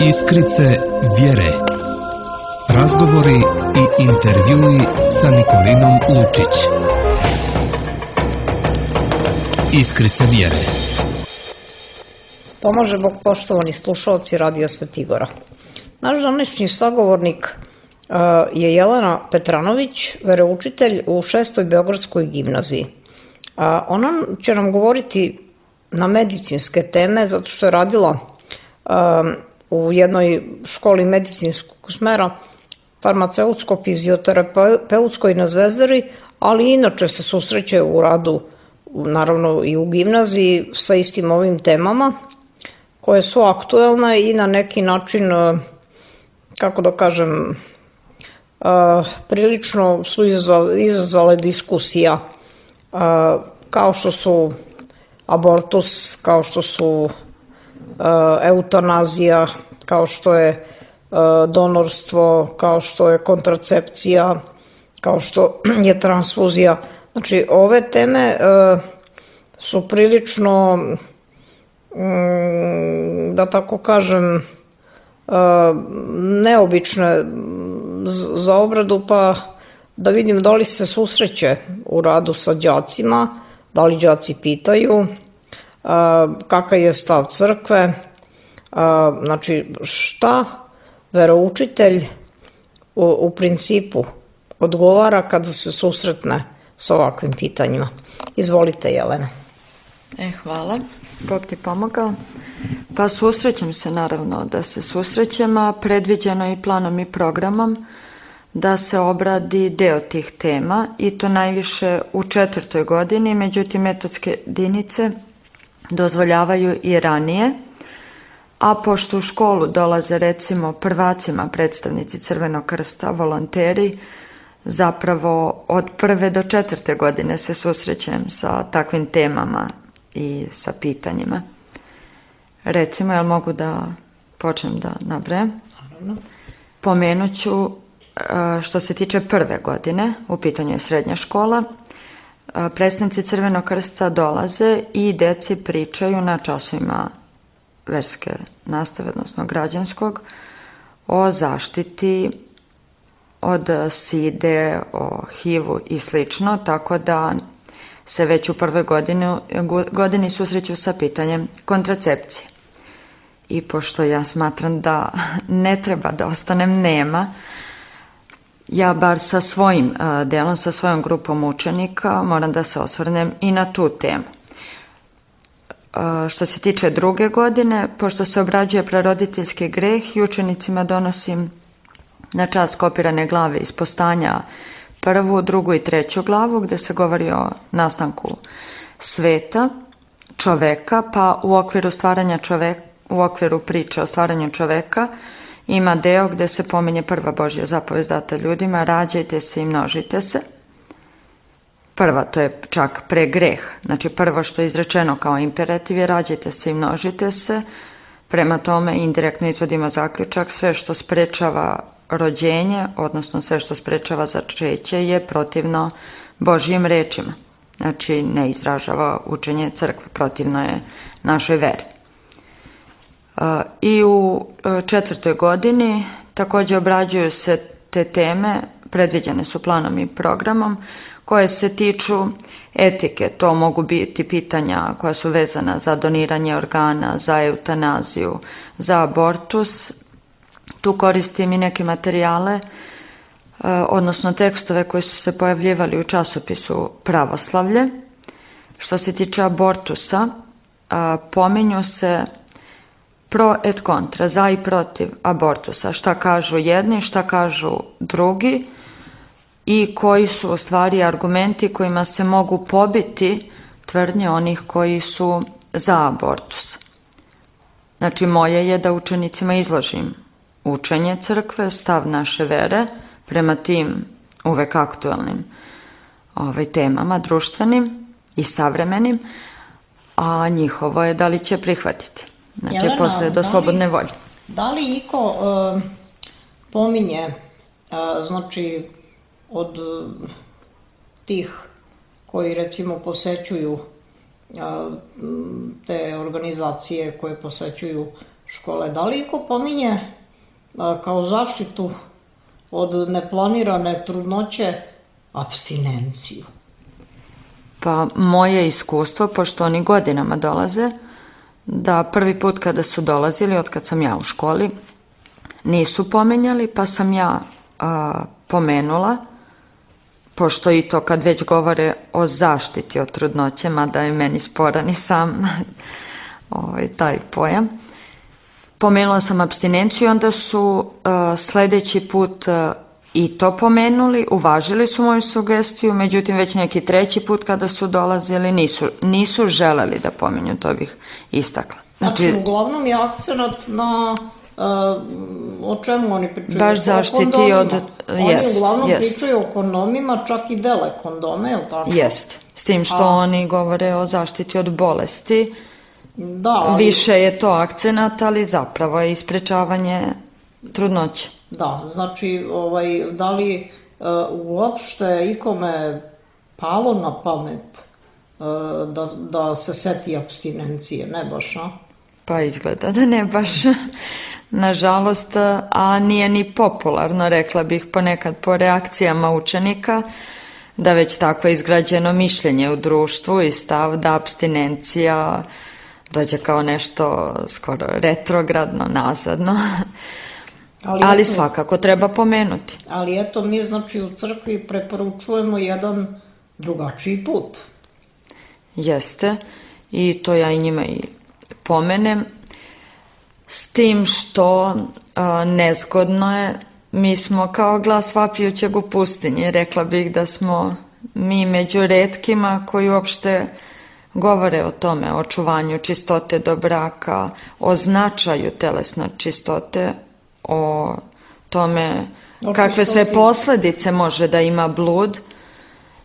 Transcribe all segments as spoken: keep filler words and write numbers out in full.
Iskrice vjere. Razgovori i intervjui sa Nikolinom Lučić. Iskrice vjere. Pomaže Bog, poštovani slušalci Radija Svetigora. Naš današnji sagovornik uh, je Jelena Petranović, veroučitelj u šestoj Beogradskoj gimnaziji. Uh, ona će nam govoriti na medicinske teme, zato što je radila um, u jednoj školi medicinskog smera, farmaceutsko-fizioterapeutskoj na Zvezdari, ali inače se susreće u radu, naravno i u gimnaziji, sa istim ovim temama, koje su aktuelne i na neki način, kako da kažem, prilično su izazvale diskusija, kao što su abortus, kao što su eutanazija, kao što je donorstvo, kao što je kontracepcija, kao što je transfuzija. Znači, ove teme su prilično, da tako kažem, neobične za obradu, pa da vidim da li se susreće u radu sa đacima, da li đaci pitaju, kakav je stav crkve, znači šta veroučitelj u, u principu odgovara kada se susretne s ovakvim pitanjima. Izvolite, Jelena. E, hvala. Bog ti pomogao. Pa susrećem se, naravno da se susrećem, a predviđeno je i planom i programom da se obradi deo tih tema, i to najviše u četvrtoj godini, međutim metodske jedinice dozvoljavaju i ranije, a pošto u školu dolaze recimo prvacima predstavnici Crvenog krsta, volonteri, zapravo od prve do četvrte godine se susrećem sa takvim temama i sa pitanjima. Recimo, jel mogu da počnem da nabrajam? Pomenut ću što se tiče prve godine, u pitanju je srednja škola, predstavnici Crvenog krsta dolaze i deci pričaju na časovima verske nastave, odnosno građanskog, o zaštiti od side, o H I V-u i slično, tako da se već u prvoj godini, godini susreću sa pitanjem kontracepcije. I pošto ja smatram da ne treba da ostanem nema, ja bar sa svojim delom, sa svojom grupom učenika moram da se osvrnem i na tu temu. Što se tiče druge godine, pošto se obrađuje praroditeljski greh i učenicima donosim na čas kopirane glave iz Postanja prvu, drugu i treću glavu, gde se govori o nastanku sveta, čoveka, pa u okviru stvaranja čoveka, u okviru priče o stvaranju čoveka ima deo gde se pominje prva Božja zapovest data ljudima: rađajte se i množite se. Prva, to je čak pre greh, znači prvo što je izrečeno kao imperativ je rađajte se i množite se. Prema tome indirektno izvodimo zaključak: sve što sprečava rođenje, odnosno sve što sprečava začeće, je protivno Božjim rečima. Znači ne izražava učenje crkve, protivno je našoj veri. I u četvrtoj godini također obrađuju se te teme, predviđene su planom i programom, koje se tiču etike. To mogu biti pitanja koja su vezana za doniranje organa, za eutanaziju, za abortus. Tu koristim i neke materijale, odnosno tekstove koji su se pojavljivali u časopisu Pravoslavlje. Što se tiče abortusa, pominju se pro et kontra, za i protiv abortusa. Šta kažu jedni, šta kažu drugi i koji su u stvari argumenti kojima se mogu pobiti tvrdnje onih koji su za abortus. Znači moje je da učenicima izložim učenje crkve, stav naše vere prema tim uvek aktualnim ovaj, temama, društvenim i savremenim, a njihovo je da li će prihvatiti. Znači, Jelena, posle do slobodne volje. Da li iko uh, pominje, uh, znači, od uh, tih koji recimo posećuju uh, te organizacije koje posećuju škole. Da li iko pominje kao zaštitu od neplanirane trudnoće apstinenciju? Pa moje iskustvo, pošto oni godinama dolaze, da prvi put kada su dolazili, od kad sam ja u školi, nisu pomenjali, pa sam ja a, pomenula, pošto i to kad već govore o zaštiti od trudnoće, mada je meni sporan i sam ovaj, taj pojam. Pomenula sam apstinenciju, onda su a, sledeći put a, i to pomenuli, uvažili su moju sugestiju, međutim već neki treći put kada su dolazili nisu, nisu želeli da pomenju, to bih istakla. Znači, znači uglavnom je akcenat na uh, o čemu oni pričaju? Baš zaštiti od... Oni yes, uglavnom yes. pričaju o kondomima, čak i dele kondome, je li tako? Jest, s tim što A... oni govore o zaštiti od bolesti. Da, ali... Više je to akcenat, ali zapravo je isprečavanje trudnoće. Da, znači, ovaj, da li uh, uopšte ikome palo na pamet uh, da, da se seti apstinencije, ne baš, a? Pa izgleda da ne baš, nažalost, a nije ni popularno, rekla bih ponekad po reakcijama učenika, da već tako je izgrađeno mišljenje u društvu i stav da apstinencija dođe kao nešto skoro retrogradno, nazadno. Ali, ali eto, svakako treba pomenuti. Ali eto, mi znači u crkvi preporučujemo jedan drugačiji put. Jeste, i to ja i njima i pomenem, s tim što a, nezgodno je, mi smo kao glas vapijućeg u pustinji, rekla bih da smo mi među retkima koji uopšte govore o tome, o očuvanju čistote do braka, o značaju telesne čistote, o tome kakve sve posledice može da ima blud,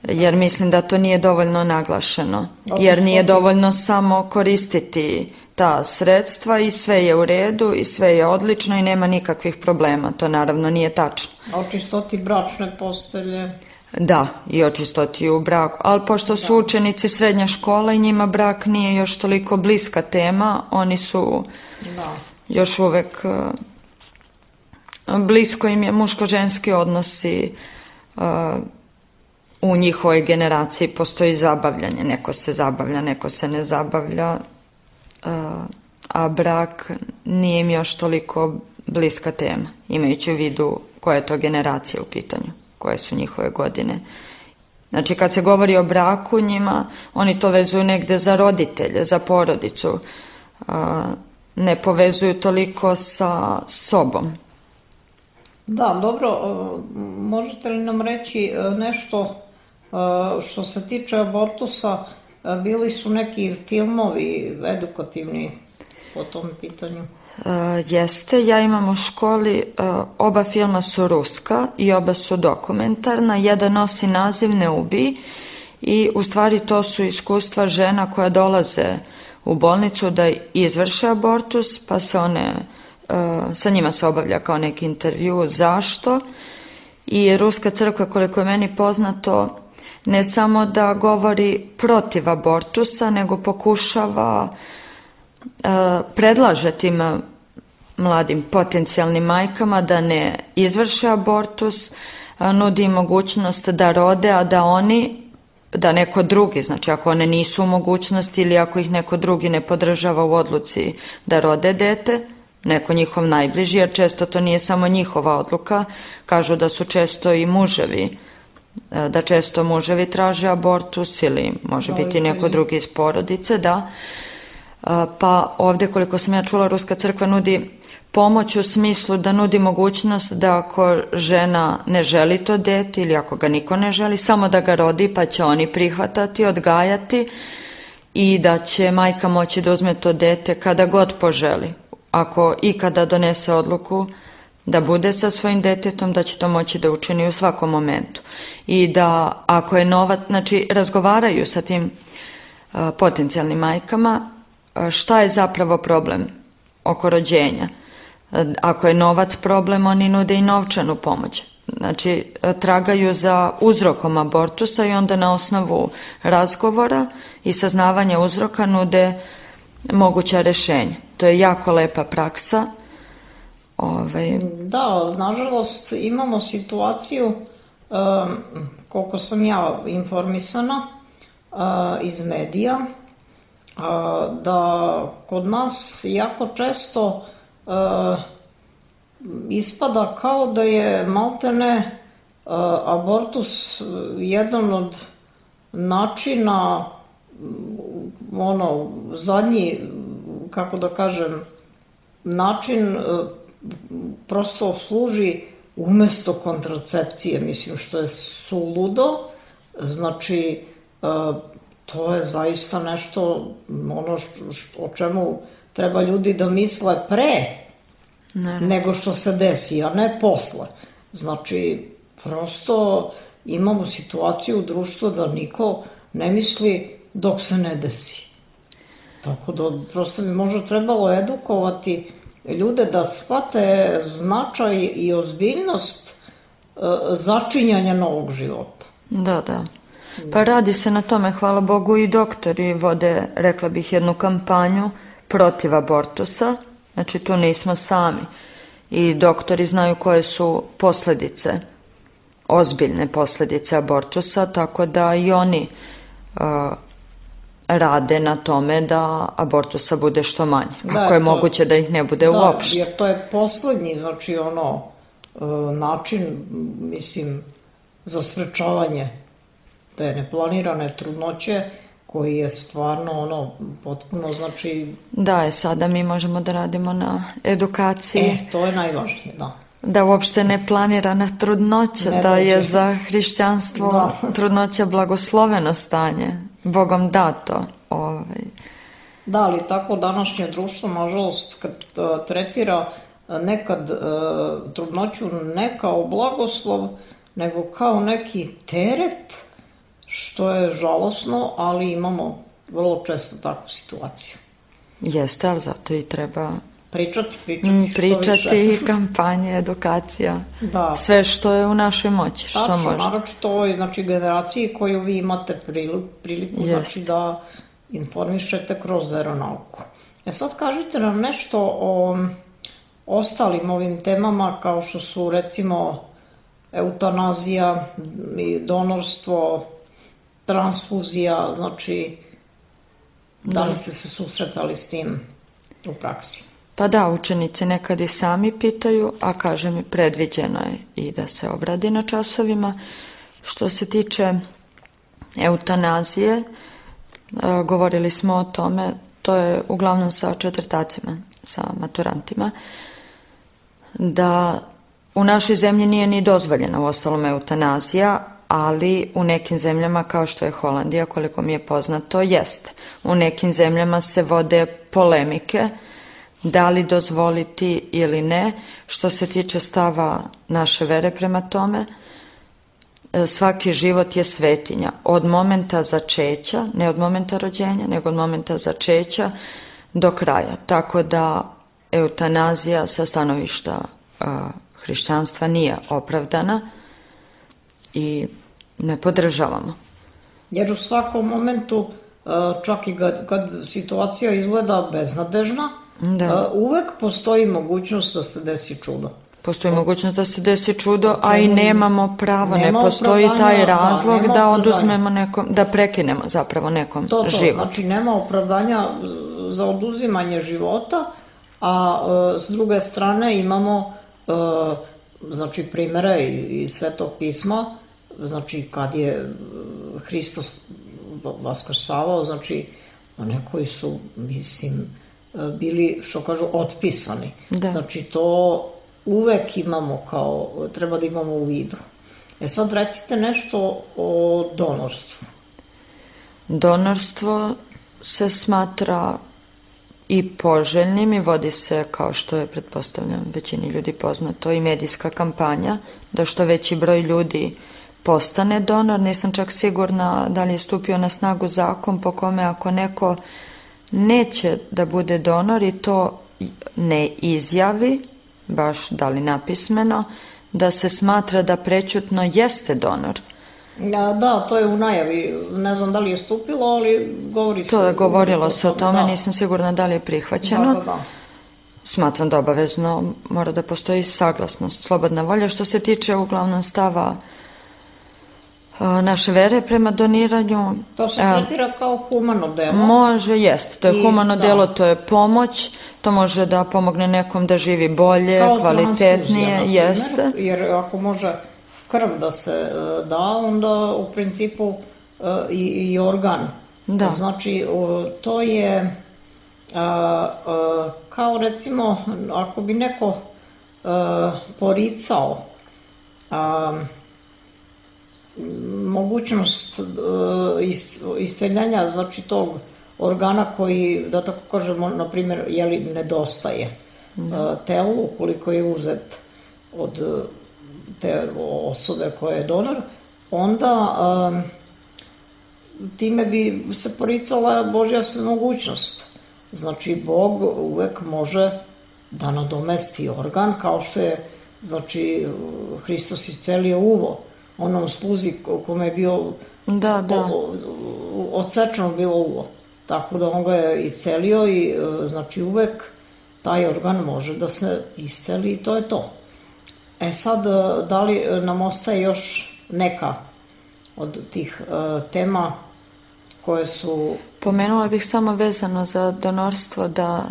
jer mislim da to nije dovoljno naglašeno, jer nije dovoljno samo koristiti ta sredstva i sve je u redu i sve je odlično i nema nikakvih problema, to naravno nije tačno. A o čistoti bračne postelje? Da, i o čistoti u braku, ali pošto su učenici srednje škole i njima brak nije još toliko bliska tema, oni su da. još uvek... blisko im je muško-ženski odnosi, uh, u njihovoj generaciji postoji zabavljanje, neko se zabavlja, neko se ne zabavlja, uh, a brak nije im još toliko bliska tema, imajući u vidu koja je to generacija u pitanju, koje su njihove godine. Znači kad se govori o braku njima, oni to vezuju negde za roditelje, za porodicu, uh, ne povezuju toliko sa sobom. Da, dobro, možete li nam reći nešto što se tiče abortusa, bili su neki filmovi edukativni po tom pitanju? Jeste, ja imam u školi, oba filma su ruska i oba su dokumentarna, jedan nosi naziv Ne ubij i u stvari to su iskustva žena koja dolaze u bolnicu da izvrše abortus, pa se one... sa njima se obavlja kao neki intervju zašto i Ruska crkva, koliko je meni poznato, ne samo da govori protiv abortusa, nego pokušava, predlaže tim mladim potencijalnim majkama da ne izvrše abortus, nudi im mogućnost da rode, a da oni, da neko drugi, znači ako one nisu u mogućnosti ili ako ih neko drugi ne podržava u odluci da rode dete, neko njihov najbliži, jer često to nije samo njihova odluka, kažu da su često i muževi, da često muževi traže abortus ili može biti neko drugi iz porodice, da. Pa ovde, koliko sam ja čula, Ruska crkva nudi pomoć u smislu da nudi mogućnost da ako žena ne želi to dete ili ako ga niko ne želi, samo da ga rodi pa će oni prihvatati, odgajati i da će majka moći da uzme to dete kada god poželi. Ako ikada donese odluku da bude sa svojim detetom, da će to moći da učini u svakom momentu. I da ako je novac, znači razgovaraju sa tim uh, potencijalnim majkama, uh, šta je zapravo problem oko rođenja. Uh, ako je novac problem, oni nude i novčanu pomoć. Znači uh, tragaju za uzrokom abortusa i onda na osnovu razgovora i saznavanja uzroka nude moguća rešenja. To je jako lepa praksa. Ove... Da, nažalost imamo situaciju, um, koliko sam ja informisana uh, iz medija, uh, da kod nas jako često uh, ispada kao da je maltene uh, abortus jedan od načina, ono, zadnji, kako da kažem, način uh, prosto služi umesto kontracepcije, mislim, što je suludo. Znači, to je zaista nešto ono što, o čemu treba ljudi da misle pre ne. nego što se desi, a ne posle. Znači, prosto imamo situaciju u društvu da niko ne misli dok se ne desi. Tako da prosto bi možda trebalo edukovati ljude da shvate značaj i ozbiljnost e, začinjanja novog života. Da, da. Pa radi se na tome, hvala Bogu, i doktori vode, rekla bih, jednu kampanju protiv abortusa. Znači, tu nismo sami. I doktori znaju koje su posljedice, ozbiljne posljedice abortusa, tako da i oni uh, rade na tome da abortusa bude što manje. Da, ako je to, moguće da ih ne bude da, uopšte. Jer to je poslednji, znači ono, način, mislim, za sprečavanje te neplanirane trudnoće, koji je stvarno ono, potpuno, znači... Da, je sada mi možemo da radimo na edukaciji. E, to je najvažnije, da. Da uopšte neplanirana trudnoća, ne da je za hrišćanstvo da. Trudnoća blagosloveno stanje, Bogom dato. Ovaj. Da, ali tako današnje društvo, nažalost, kad uh, tretira nekad uh, trudnoću ne kao blagoslov, nego kao neki teret, što je žalosno, ali imamo vrlo često takvu situaciju. Jeste, ali zato i treba... Pričati, pričati, pričati i kampanje, edukacija, da. Sve što je u našoj moći, što Tačno, može. Naročito ovoj, znači, generaciji koju vi imate priliku, priliku znači, da informišete kroz veronauku. E sad kažite nam nešto o ostalim ovim temama, kao što su recimo eutanazija, donorstvo, transfuzija, znači da li ste se susretali s tim u praksi? Pa da, učenici nekad i sami pitaju, a kaže mi predviđeno je i da se obradi na časovima. Što se tiče eutanazije, govorili smo o tome, to je uglavnom sa četvrtacima, sa maturantima, da u našoj zemlji nije ni dozvoljena u ostalom eutanazija, ali u nekim zemljama kao što je Holandija, koliko mi je poznato, jest. U nekim zemljama se vode polemike da li dozvoliti ili ne. Što se tiče stava naše vere prema tome, svaki život je svetinja. Od momenta začeća, ne od momenta rođenja, nego od momenta začeća do kraja. Tako da eutanazija sa stanovišta uh, hrišćanstva nije opravdana i ne podržavamo. Jer u svakom momentu, čak i kad situacija izgleda beznadežna, da. uvek postoji mogućnost da se desi čudo. Postoji mogućnost da se desi čudo, a i nemamo pravo, nema ne postoji taj razlog da, da oduzmemo nekom, da prekinemo zapravo nekom to, to, život. Znači nema opravdanja za oduzimanje života, a e, s druge strane imamo e, znači primere iz Svetog pisma, znači kad je Hristos vaskrsavao, znači oni koji su, mislim, bili, što kažu, otpisani. Da. Znači to uvek imamo kao, treba da imamo u vidu. E sad recite nešto o donorstvu. Donorstvo se smatra i poželjnim i vodi se, kao što je, pretpostavljam, većini ljudi poznato, i medijska kampanja, da što veći broj ljudi postane donor. Nisam čak sigurna da li je stupio na snagu zakon po kome ako neko neće da bude donor i to ne izjavi, baš da li napismeno, da se smatra da prećutno jeste donor. Da, to je u najavi, ne znam da li je stupilo, ali govori se... To je govorilo se o tome, nisam sigurna da li je prihvaćeno. Da, da, da. Smatram da obavezno mora da postoji saglasnost, slobodna volja. Što se tiče uglavnom stava naše vere prema doniranju... To se tretira kao humano delo. Može, jest. To je humano delo, to je pomoć. To može da pomogne nekom da živi bolje, kvalitetnije. Jeste. Jer ako može krv da se da, onda u principu i organ. Da. Znači, to je kao recimo, ako bi neko poricao mogućnost isceljanja, znači tog organa koji, da tako kažemo, na primjer, jeli nedostaje telu, ukoliko je uzet od te osobe koja je donor, onda time bi se poricala Božja svemogućnost. Znači, Bog uvek može da nadomesti organ, kao što je, znači, Hristos iscelio uvo, onom sluzi kome je bio odsečeno bilo uvo. Tako da on ga je iscelio i, znači, uvek taj organ može da se isceli i to je to. E sad, da li nam ostaje još neka od tih tema koje su... Pomenula bih samo vezano za donorstvo da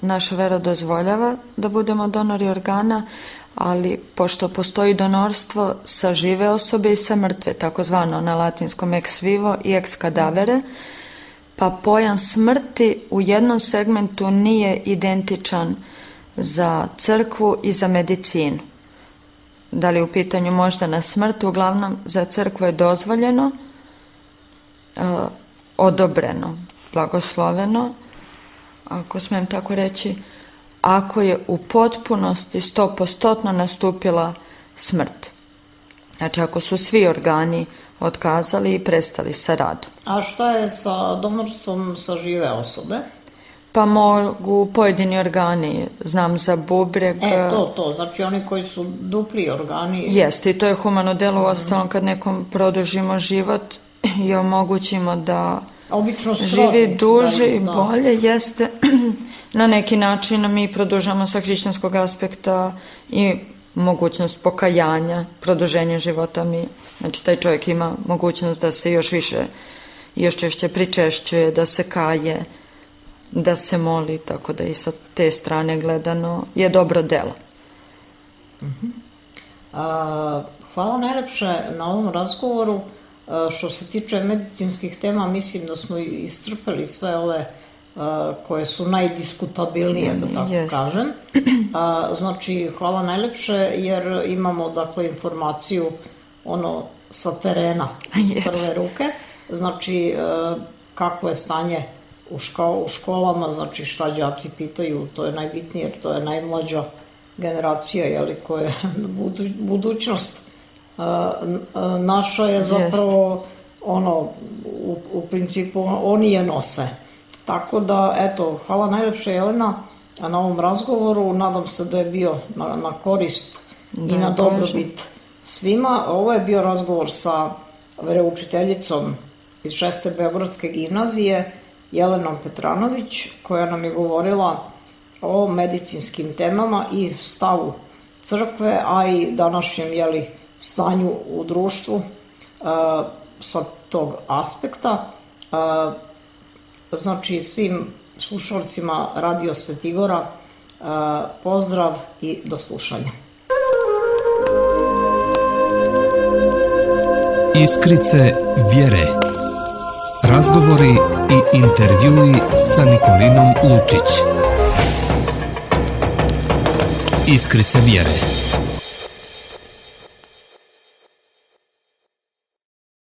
naša vera dozvoljava da budemo donori organa, ali pošto postoji donorstvo sa žive osobe i sa mrtve, takozvano na latinskom ex vivo i ex cadavere, pa pojam smrti u jednom segmentu nije identičan za crkvu i za medicinu. Da li u pitanju možda na smrt, uglavnom za crkvu je dozvoljeno, odobreno, blagosloveno, ako smijem tako reći, ako je u potpunosti stopostotno nastupila smrt. Znači, ako su svi organi otkazali i prestali sa radom. A šta je sa donorstvom sa žive osobe? Pa mogu pojedini organi, znam za bubreg. E, to, to, znači oni koji su dupli organi. Jeste, i to je humano delo, u ostalom kad nekom produžimo život i omogućimo da živi duže i bolje, jeste. Na neki način mi produžamo sa hrišćanskog aspekta i mogućnost pokajanja, produženja života mi. Znači, taj čovjek ima mogućnost da se još više, još češće pričešćuje, da se kaje, da se moli, tako da i sa te strane gledano je dobro delo. Hvala najlepše na ovom razgovoru. Što se tiče medicinskih tema, mislim da smo iscrpeli sve ove koje su najdiskutabilnije, da tako kažem. Znači, hvala najlepše jer imamo, dakle, informaciju ono sa terena, prve ruke. Znači, kako je stanje u školama, znači šta đaci pitaju, to je najbitnije jer to je najmlađa generacija, jeli, koja je budućnost. Naša je zapravo, ono, u principu, oni je nose. Tako da, eto, hvala najlepše Jelena na ovom razgovoru, nadam se da je bio na korist i na dobrobit svima. Ovo je bio razgovor sa veroučiteljicom iz šeste Beogradske gimnazije, Jelenom Petranović, koja nam je govorila o medicinskim temama i stavu crkve, a i današnjem, jeli, stanju u društvu sa tog aspekta. Znači, svim slušalcima Radio Svetigora pozdrav i do slušanja. Iskrice vjere. Razgovori i intervjui sa Nikolinom Lučić. Iskrice vjere.